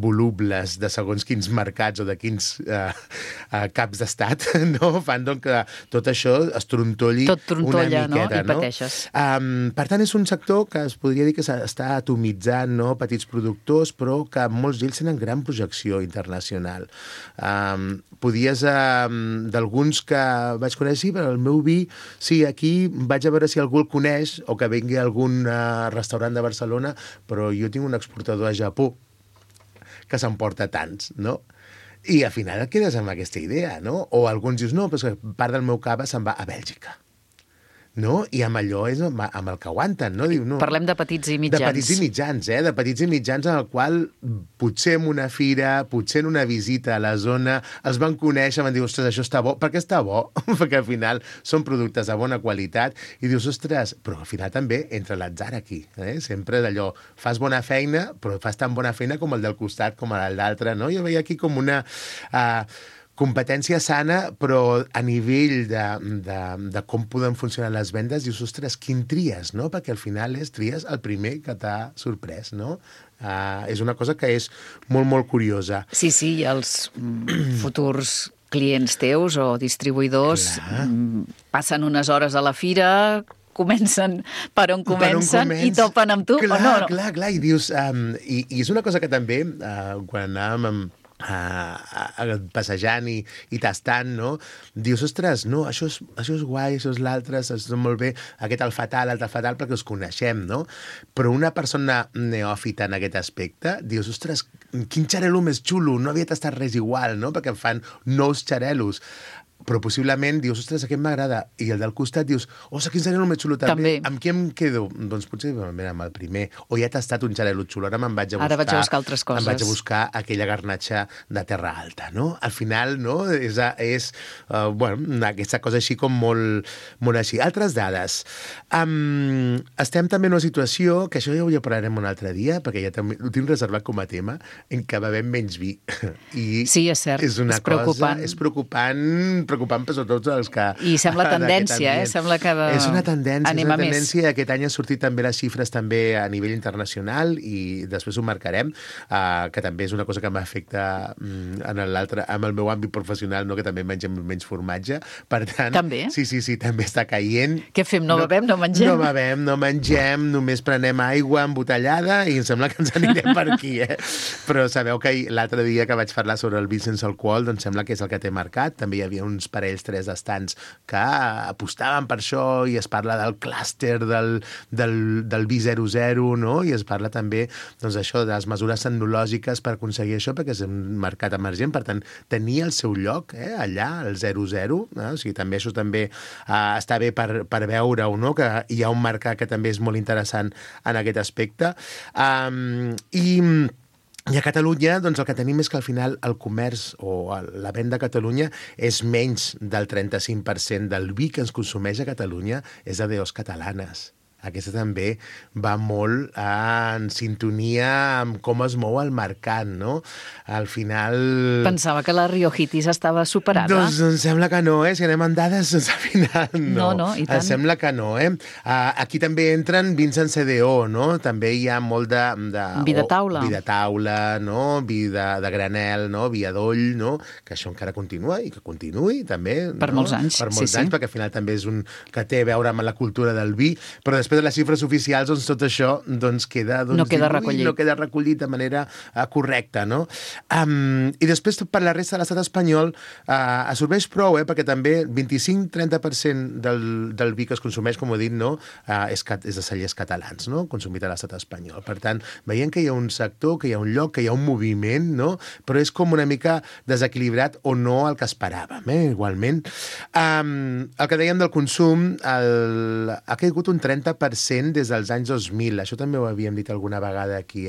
volubles de segons quins mercats o de quins caps d'estat, no? Fan doncs que tot això es trontolli una miqueta, no? I pateixes. Per tant, és un sector que es podria dir que s'està atomitzant, no? Petits productors, però que molts d'ells tenen gran projecció internacional. Podies, d'alguns que vaig conèixer, sí, però el meu vi, sí, aquí vaig a veure si algú el coneix o que vengui a algun restaurant de Barcelona, però jo tinc un exportador a Japó que s'emporta tants, no? I al final et quedes amb aquesta idea, no? O alguns dius, no, però part del meu cava se'n va a Bèlgica. No? I amb allò és amb el que aguanten, no? Diu, no. Parlem de petits i mitjans. De petits i mitjans, de petits i mitjans en el qual potser en una fira, potser en una visita a la zona, els van conèixer, van dir, ostres, això està bo. Per què està bo? Perquè al final són productes de bona qualitat i dius, ostres, però al final també entra l'atzar aquí. Sempre d'allò, fas bona feina, però fas tan bona feina com el del costat, com el d'altre, no? Jo veia aquí com una... competència sana, però a nivell de com poden funcionar les vendes, dius, ostres, quin tries, no? Perquè al final tries el primer que t'ha sorprès, no? És una cosa que és molt, molt curiosa. Sí, i els futurs clients teus o distribuïdors passen unes hores a la fira, comencen per on comencen i topen amb tu, o no? Clar, i dius... I és una cosa que també, quan anàvem passejant i tastant, no? Dius, ostres, no, això és guai, això és l'altre, això és molt bé, aquest el fatal, l'altre fatal, perquè els coneixem, no? Però una persona neòfita en aquest aspecte, dius, ostres, quin xarel·lo més xulo, no havia tastat res igual, no? Perquè em fan nous xarel·los. Però possiblement dius, ostres, aquest m'agrada, i el del costat dius, ostres, quin xarel·lo més xulo també. Amb qui em quedo? Doncs potser amb el primer. O ja he tastat un xarel·lo xulo, ara vaig a buscar altres coses. Em vaig a buscar aquella garnatxa de terra alta, no? Al final, no? És aquesta cosa així com molt, molt així. Altres dades. Estem també en una situació, que això ja ho parlarem un altre dia, perquè ja també ho tinc reservat com a tema, en què bevem menys vi. Sí, és cert, és preocupant. És preocupant preocupant per tots els que... I sembla tendència, Sembla que és una tendència, anem a més. Aquest any han sortit també les xifres també a nivell internacional i després ho marcarem, que també és una cosa que m'afecta en el meu àmbit professional, no? Que també mengem menys formatge. Per tant, també? Sí, també està caient. Què fem? No bevem, no mengem? No bevem, no mengem, només prenem aigua embotellada i em sembla que ens anirem per aquí, Però sabeu que l'altre dia que vaig parlar sobre el vi sense alcohol, doncs sembla que és el que té marcat. També hi havia uns parells, 3 estants que apostaven per això i es parla del clúster del vi 00, no? I es parla també doncs, això de les mesures tecnològiques per aconseguir això, perquè és un mercat emergent, per tant, tenia el seu lloc allà, el 00, o sigui, també això també està bé per veure-ho, no? Que hi ha un mercat que també és molt interessant en aquest aspecte. I a Catalunya, doncs el que tenim és que al final el comerç o la venda a Catalunya és menys del 35% del vi que ens consumeix a Catalunya és de DOs catalanes. Aquesta també va molt en sintonia amb com es mou el mercat, no? Al final... Pensava que la Riojitis estava superada. Doncs em sembla que no, Si anem amb dades, doncs al final no. No, i tant. Em sembla que no, Aquí també entren vins en CDO, no? També hi ha molt de... Vi de taula. Vi de taula, no? Vi de granel, no? Vi adoll, no? Que això encara continua i que continuï, també. Per molts anys, Per molts anys, perquè al final també és un que té a veure amb la cultura del vi, però després de les xifres oficials, doncs tot això doncs, queda, doncs, no queda recollit. No queda recollit de manera correcta, no? I després, per la resta de l'estat espanyol, absorbeix prou, perquè també 25-30% del vi que es consumeix, com he dit, no? És de cellers catalans, no? Consumit a l'estat espanyol. Per tant, veiem que hi ha un sector, que hi ha un lloc, que hi ha un moviment, no? Però és com una mica desequilibrat o no el que esperàvem, igualment. El que dèiem del consum ha caigut un 30% des dels anys 2000. Això també ho havíem dit alguna vegada aquí,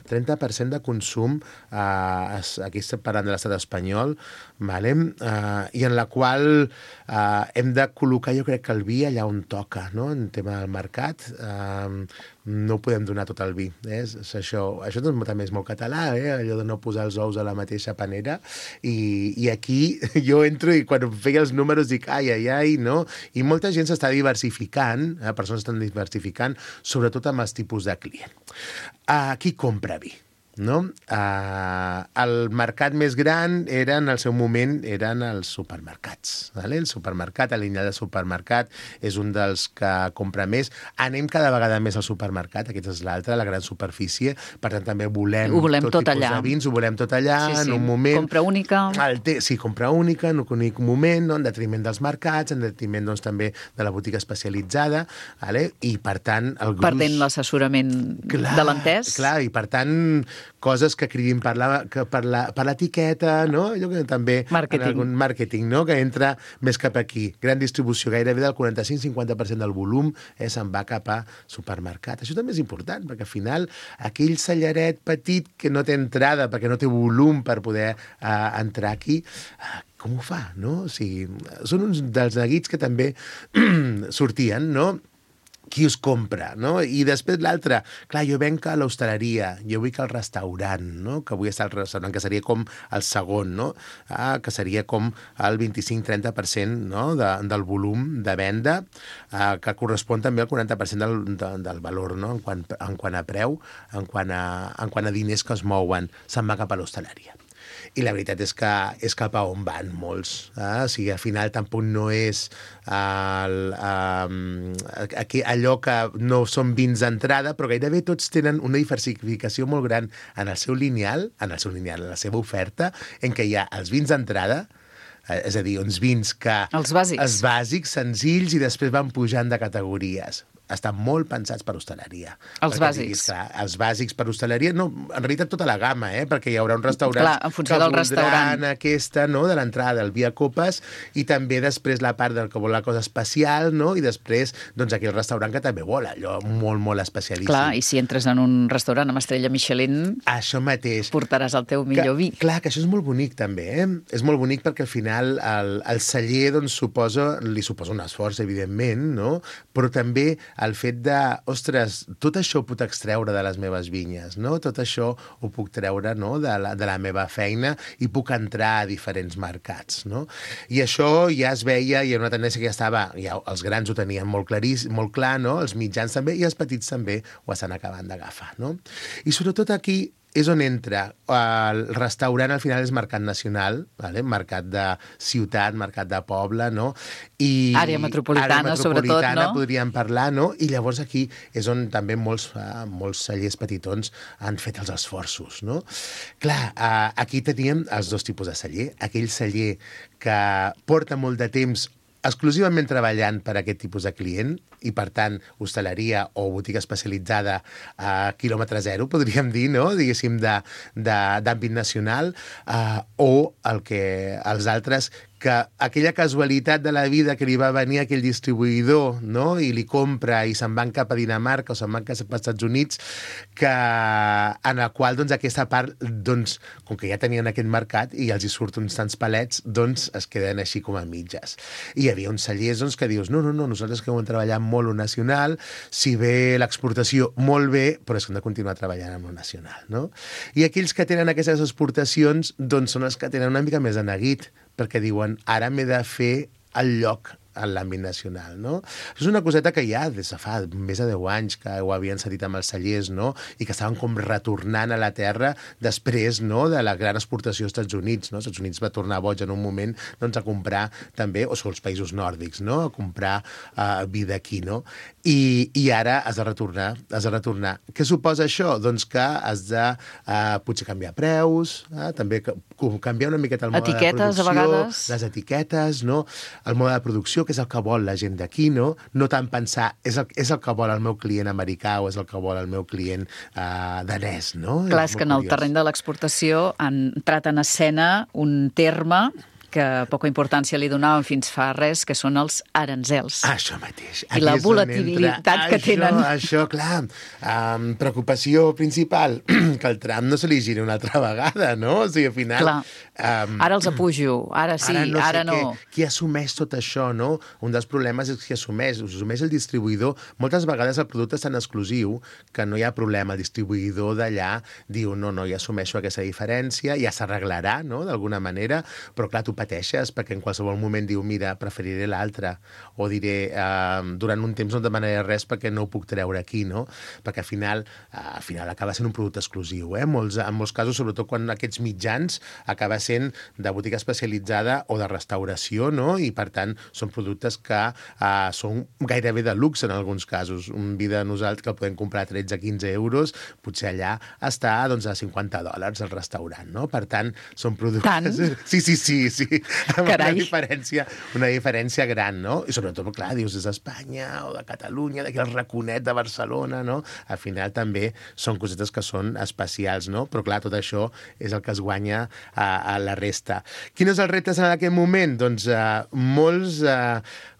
30% de consum, aquí estem parlant de l'estat espanyol, vale? I en la qual hem de col·locar, jo crec que el vi allà on toca, no? En tema del mercat, no podem donar tot el vi. Això també és molt català, allò de no posar els ous a la mateixa panera, i aquí jo entro i quan feia els números dic ai, no? I molta gent s'està diversificant, persones estan diversificant, sobretot amb els tipus de client. Qui compra vi? No? El mercat més gran en el seu moment eren els supermercats. Vale? El supermercat, el lineal de supermercat, és un dels que compra més. Anem cada vegada més al supermercat, aquest és l'altre, la gran superfície, per tant també volem tot tipus de vins, ho volem tot allà, en un moment... Compra única. Sí, compra única, en un únic moment, no? En detriment dels mercats, en detriment doncs, també de la botiga especialitzada, vale? I per tant... Perdent l'assessorament de l'entès. Clar, i per tant coses que cridin per l'etiqueta, no? Allò que també... Màrqueting, no? Que entra més cap aquí. Gran distribució, gairebé del 45-50% del volum se'n va cap a supermercat. Això també és important, perquè al final aquell celleret petit que no té entrada, perquè no té volum per poder entrar aquí, com ho fa, no? O sigui, són uns dels neguits que també sortien, no? Qui us compra, no? I després l'altre, clar, jo venc a l'hostaleria, jo vull al restaurant, no? Que vull estar al restaurant, que seria com el segon, no? Que seria com el 25-30%, no? Del volum de venda, que correspon també al 40% del valor, no? En quant a preu, en quant a diners que es mouen, se'n va cap a l'hostaleria. I la veritat és que és cap a on van molts. O sigui, al final tampoc no és allò que no són vins d'entrada, però gairebé tots tenen una diversificació molt gran en el seu lineal, en la seva oferta, en què hi ha els vins d'entrada, és a dir, uns vins que... Els bàsics. Els bàsics, senzills, i després van pujant de categories. Estan molt pensats per hostaleria. Els bàsics. Els bàsics per hostaleria, no, en realitat tota la gamma, perquè hi haurà un restaurant en funció del restaurant. Aquesta, no?, de l'entrada del vi a copes, i també després la part del que vol la cosa especial, no?, i després, doncs, aquell restaurant que també vol allò molt, molt especialíssim. Clar, i si entres en un restaurant amb estrella Michelin... Això mateix. Portaràs el teu millor vi. Clar, que això és molt bonic, també, És molt bonic perquè al final el celler, doncs, li suposa un esforç, evidentment, no?, però també el fet de, ostres, tot això ho puc extreure de les meves vinyes, no? Tot això ho puc treure, no?, de la meva feina i puc entrar a diferents mercats, no? I això ja es veia, hi ha una tendència que ja estava, ja els grans ho tenien molt clar, no? Els mitjans també, i els petits també ho estan acabant d'agafar, no? I sobretot aquí és on entra. El restaurant al final és mercat nacional, vale? Mercat de ciutat, mercat de poble, no? I àrea metropolitana, sobretot, no? Podríem parlar, no? I llavors aquí és on també molts cellers petitons han fet els esforços, no? Clar, aquí teníem els dos tipus de celler. Aquell celler que porta molt de temps exclusivament treballant per a aquest tipus de client i, per tant, hostaleria o botiga especialitzada a quilòmetre zero, podríem dir, no?, diguéssim, d'àmbit nacional, o els altres que aquella casualitat de la vida que li va venir aquell distribuïdor, no?, i li compra i se'n van cap a Dinamarca o se'n van cap als Estats Units, en la qual, doncs, aquesta part, doncs, com que ja tenien aquest mercat i els hi surten uns tants palets, doncs es queden així com a mitges. I hi havia uns cellers, doncs, que dius, no, nosaltres que hem treballat molt lo nacional, si ve l'exportació, molt bé, però és que hem de continuar treballant amb lo nacional, no? I aquells que tenen aquestes exportacions, doncs, són els que tenen una mica més de neguit, perquè diuen, ara m'he de fer el lloc en l'àmbit nacional, no? És una coseta que ja des de fa més de 10 anys que ho havien sentit amb els cellers, no?, i que estaven com retornant a la terra després, no?, de la gran exportació als Estats Units, no? Els Estats Units va tornar boig en un moment, doncs, a comprar també, o són els països nòrdics, no?, a comprar vi d'aquí, no? I ara has de retornar. Què suposa això? Doncs que has de potser canviar preus, també canviar una miqueta el mode de producció, a vegades, les etiquetes, no?, el mode de producció, que és el que vol la gent d'aquí, no? No tant pensar, és el que vol el meu client americà o és el que vol el meu client danès, no? Clar, és que en el terreny de l'exportació han entrat en escena un terme que poca importància li donaven fins fa res, que són els aranzels. Això mateix. I la volatilitat que tenen. Això, clar. Preocupació principal, que el tram no se li giri una altra vegada, no? O sigui, al final... Clar. Ara els apujo, ara sí, ara no. Qui assumeix tot això, no? Un dels problemes és qui assumeix el distribuïdor. Moltes vegades el producte és tan exclusiu que no hi ha problema. El distribuïdor d'allà diu, no, ja assumeixo aquesta diferència, ja s'arreglarà, no?, d'alguna manera, però clar, tu pateixes perquè en qualsevol moment diu, mira, preferiré l'altre, o diré, durant un temps no demanaré res perquè no ho puc treure aquí, no? Perquè al final acaba sent un producte exclusiu, eh? En molts casos, sobretot quan aquests mitjans acaba sent de botiga especialitzada o de restauració, no? I per tant són productes que són gairebé de luxe en alguns casos. Un vi de nosaltres que el podem comprar a 13-15 euros, potser allà està, doncs, a $50 al restaurant, no? Per tant, són productes... Tant? Sí. Carai. Una diferència gran, no? I sobretot, clar, dius, és d'Espanya o de Catalunya, d'aquí el raconet de Barcelona, no? Al final també són cosetes que són especials, no? Però clar, tot això és el que es guanya a la resta. Quin és el repte en aquest moment? Doncs molts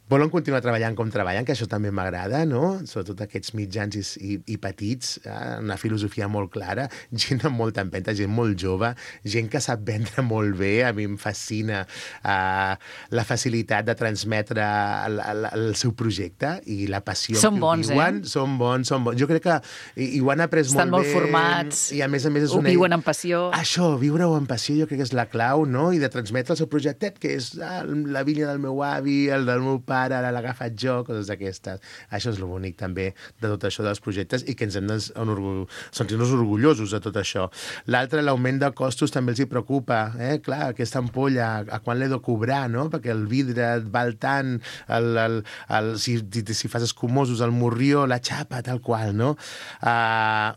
volen continuar treballant com treballen, que això també m'agrada, no? Sobretot aquests mitjans i petits, una filosofia molt clara, gent amb molta empenta, gent molt jove, gent que sap vendre molt bé. A mi em fascina la facilitat de transmetre el seu projecte i la passió que viuen. Són bons. Jo crec que ho han après Estan molt bé. Estan molt formats, i a més és ho viuen amb passió. Això, viure-ho amb passió, jo crec que és la clau, no? I de transmetre el seu projectet, que és la vinya del meu avi, el del meu pare, ara l'ha agafat jo, coses d'aquestes. Això és el bonic també de tot això dels projectes i que ens hem de sentir-nos orgullosos de tot això. L'altre, l'augment de costos també els hi preocupa. Clar, aquesta ampolla, a quan l'he de cobrar, no? Perquè el vidre et val tant, si fas escumosos, el morrió, la xapa, tal qual, no?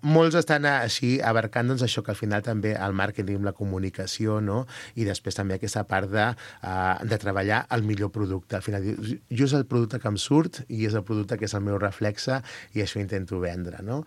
Molts estan així abarcant doncs, això que al final també el màrqueting, la comunicació, no? I després també aquesta part de treballar el millor producte. Al final, jo és el producte que em surt i és el producte que és el meu reflexe i això intento vendre, no?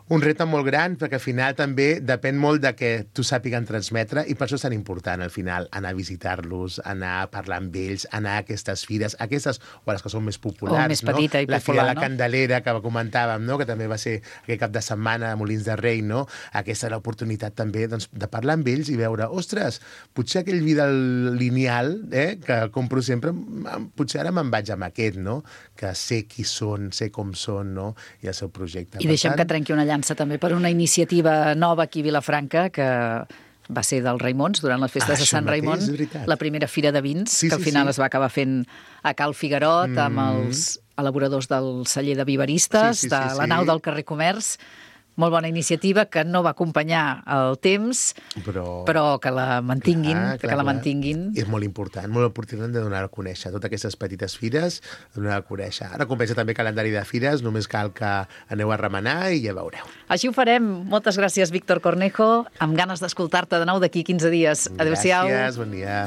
Un repte molt gran perquè al final també depèn molt de que tu sàpiguen transmetre i per això és tan important al final anar a visitar-los, anar a parlar amb ells, anar a aquestes fires, aquestes o les que són més populars, més petita i la popular, Fira de la no? Candelera que comentàvem, no? Que també va ser aquest cap de setmana a Molins de Rei, no? Aquesta és l'oportunitat també doncs, de parlar amb ells i veure, ostres, potser aquell vi del lineal que compro sempre, potser ara me'n vaig vaig amb aquest, no? Que sé qui són, sé com són, no? I el seu projecte. I deixem que trenqui una llança també per una iniciativa nova aquí a Vilafranca, que va ser del Raimons, durant les festes de Sant Raimon, la primera fira de vins, que al final es va acabar fent a Cal Figuerot, amb els elaboradors del celler de Viveristes, de la nau del carrer Comerç. Molt bona iniciativa, que no va acompanyar el temps, però que la mantinguin. És molt important de donar a conèixer totes aquestes petites fires, donar a conèixer. Ara comença també calendari de fires, només cal que aneu a remenar i ja veureu. Així ho farem. Moltes gràcies, Víctor Cornejo, amb ganes d'escoltar-te de nou d'aquí 15 dies. Adéu-siau. Gràcies, bon dia.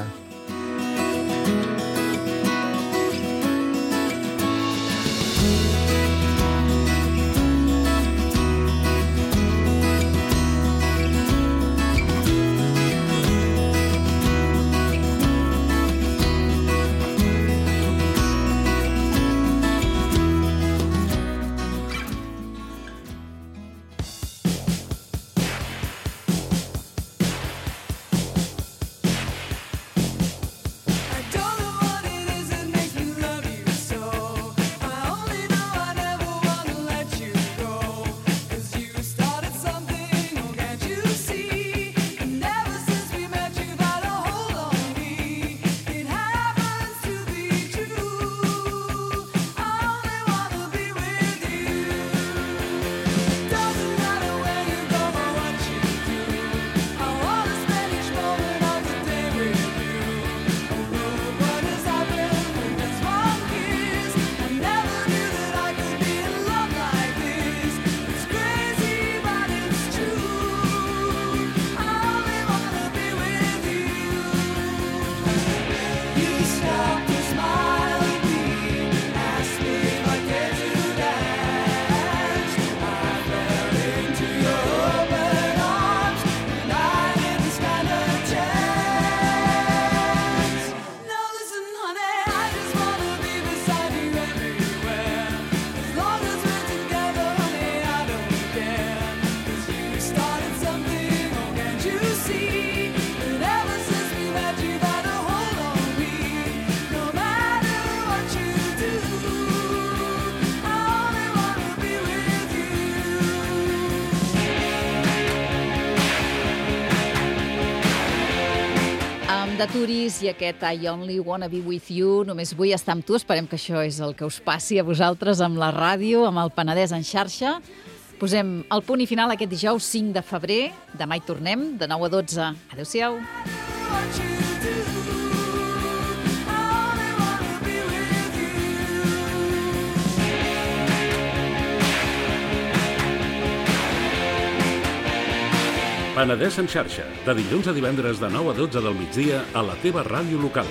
de Turis i aquest I Only Wanna Be With You. Només vull estar amb tu. Esperem que això és el que us passi a vosaltres amb la ràdio, amb el Penedès en xarxa. Posem el punt i final aquest dijous 5 de febrer. Demà hi tornem, de 9 a 12. Adéu-siau. Penedès en xarxa, de dilluns a divendres de 9 a 12 del migdia a la teva ràdio local.